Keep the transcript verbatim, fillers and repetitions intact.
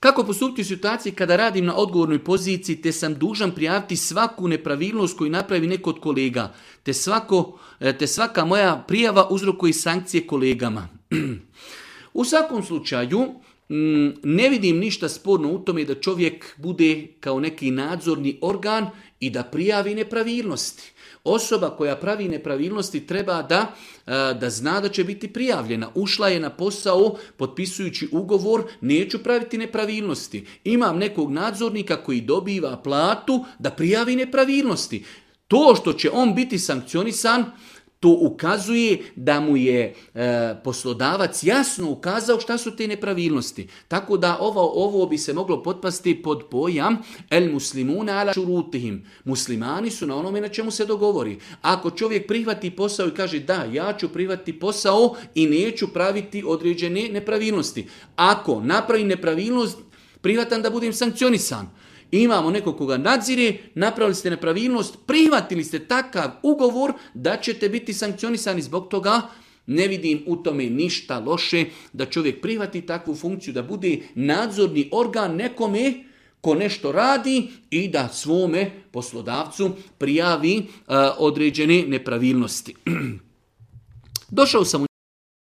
Kako postupiti u situaciji kada radim na odgovornoj poziciji te sam dužan prijaviti svaku nepravilnost koju napravi neko od kolega, te, svako, te svaka moja prijava uzrokuje sankcije kolegama. U svakom slučaju, ne vidim ništa sporno u tome da čovjek bude kao neki nadzorni organ i da prijavi nepravilnosti. Osoba koja pravi nepravilnosti treba da, da zna da će biti prijavljena. Ušla je na posao potpisujući ugovor, neću praviti nepravilnosti. Imam nekog nadzornika koji dobiva platu da prijavi nepravilnosti. To što će on biti sankcionisan, to ukazuje da mu je e, poslodavac jasno ukazao šta su te nepravilnosti. Tako da ovo, ovo bi se moglo potpasti pod pojam el muslimuna ala šurutihim. Muslimani su na onome na čemu se dogovori. Ako čovjek prihvati posao i kaže da, ja ću prihvatiti posao i neću praviti određene nepravilnosti. Ako napravi nepravilnost, prihvatam da budem sankcionisan. Imamo nekog koga nadzire, napravili ste nepravilnost, prihvatili ste takav ugovor da ćete biti sankcionisani zbog toga. Ne vidim u tome ništa loše da čovjek prihvati takvu funkciju, da bude nadzorni organ nekome ko nešto radi i da svome poslodavcu prijavi uh, određene nepravilnosti. Došao sam u